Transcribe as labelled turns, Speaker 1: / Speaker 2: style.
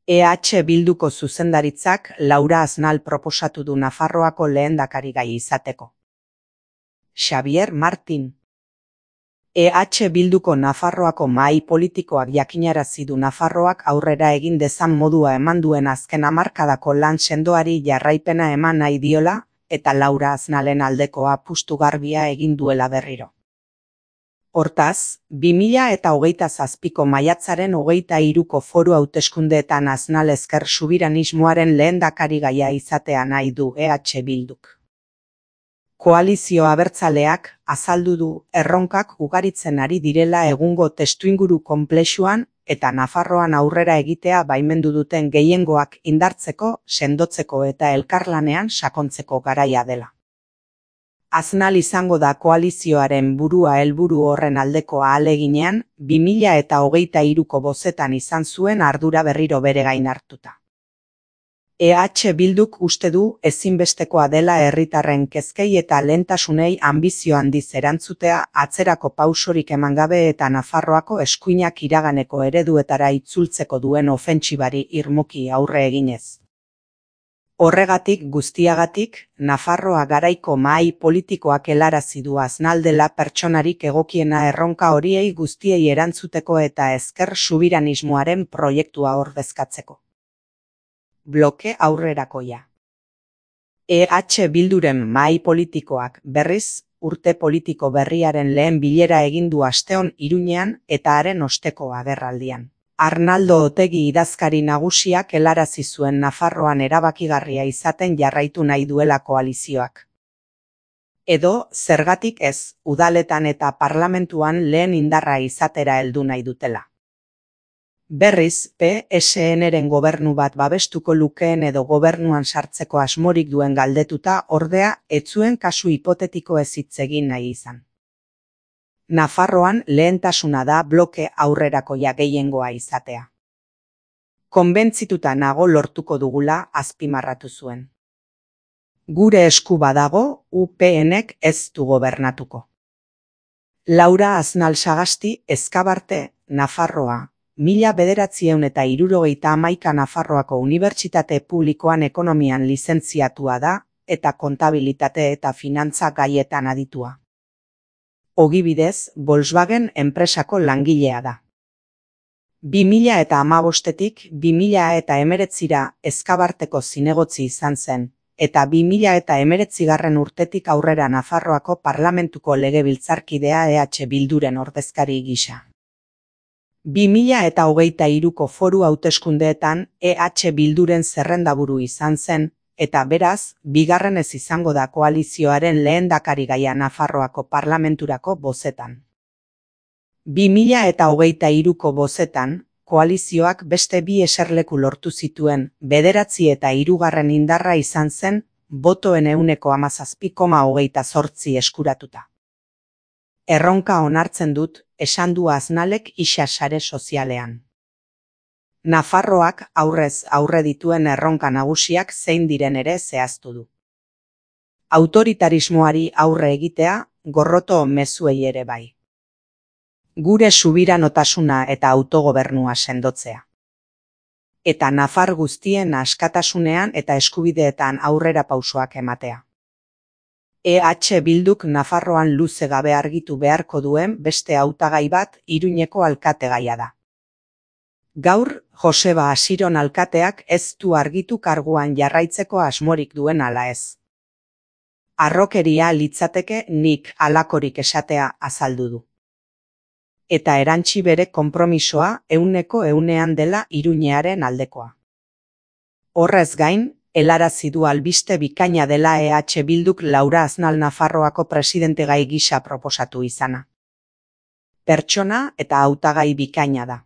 Speaker 1: EH Bilduko zuzendaritzak Laura Aznal proposatu du Nafarroako lehendakarigai izateko. Xabier Martin. EH Bilduko Nafarroako mahai politikoak jakinarazi du Nafarroak aurrera egin dezan modua eman duen azken hamarkadako lan sendoari jarraipena eman nahi diola, eta Laura Aznalen aldeko apustu garbia egin duela berriro. Hortaz, 2027ko maiatzaren 23ko foru hauteskundeetan Aznal ezker subiranismoaren lehendakarigaia izatea nahi du EH Bilduk. Koalizio abertzaleak azaldu du erronkak ugaritzen ari direla egungo testuinguru konplexuan eta Nafarroan aurrera egitea baimendu duten gehiengoak indartzeko, sendotzeko eta elkarlanean sakontzeko garaia dela. Aznal izango da koalizioaren burua helburu horren aldeko ahaleginean, 2023ko bozetan izan zuen ardura berriro bere gain hartuta. EH Bilduk uste du ezinbestekoa dela herritarren kezkei eta lehentasunei anbizio handiz erantzutea atzerako pausorik eman gabe eta Nafarroako eskuinak iraganeko ereduetara itzultzeko duen ofentsibari irmoki aurre eginez. Horregatik guztiagatik, Nafarroa garaiko mahai politikoak helarazi du Aznal dela pertsonarik egokiena erronka horiei guztiei erantzuteko eta ezker subiranismoaren proiektua ordezkatzeko. Bloke aurrerakoia. EH Bilduren mahai politikoak berriz, urte politiko berriaren lehen bilera egin du asteon Iruñean eta haren osteko agerraldian. Arnaldo Otegi idazkari nagusiak helarazi zuen Nafarroan erabakigarria izaten jarraitu nahi duela koalizioak. Edo, zergatik ez, udaletan eta parlamentuan lehen indarra izatera heldu nahi dutela. Berriz, PSN-ren gobernu bat babestuko lukeen edo gobernuan sartzeko asmorik duen galdetuta, ordea, ez zuen kasu hipotetiko ez hitz egin nahi izan. Nafarroan lehentasuna da bloke aurrerakoia gehiengoa izatea. Konbentzituta nago lortuko dugula azpimarratu zuen. Gure esku badago, UPNek ez du gobernatuko. Laura Aznal Sagasti, Ezkabarte, Nafarroa, 1971 Nafarroako Unibertsitate Publikoan ekonomian lizentziatua da, eta kontabilitate eta finantza gaietan aditua. Ogibidez, Volkswagen enpresako langilea da. 2015tik 2019ra Ezkabarteko zinegotzi izan zen, eta 2019 urtetik aurrera Nafarroako parlamentuko legebiltzarkidea EH Bilduren ordezkari gisa. 2023ko foru hauteskundeetan EH Bilduren zerrendaburu izan zen, eta beraz, bigarrenez izango da koalizioaren lehendakarigaia Nafarroako parlamenturako bozetan. 2023ko bozetan, koalizioak beste bi eserleku lortu zituen, 9 eta 3 indarra izan zen, botoen 17,28 eskuratuta. Erronka onartzen dut, esan du Aznalek isa sare sozialean. Nafarroak aurrez aurre dituen erronka nagusiak zein diren ere zehaztu du. Autoritarismoari aurre egitea, gorroto mezuei ere bai. Gure subiranotasuna eta autogobernua sendotzea. Eta nafar guztien askatasunean eta eskubideetan aurrera pausoak ematea. EH Bilduk Nafarroan luze gabe argitu beharko duen beste hautagai bat Iruñeko alkategaia da. Gaur, Joseba Asiron alkateak ez du argitu karguan jarraitzeko asmorik duen ala ez. Harrokeria litzateke nik halakorik esatea azaldu du. Eta erantsi bere konpromisoa 100% dela Iruñearen aldekoa. Horrez gain, helarazi du albiste bikaina dela EH Bilduk Laura Aznal Nafarroako presidentegai gisa proposatu izana. Pertsona eta hautagai bikaina da.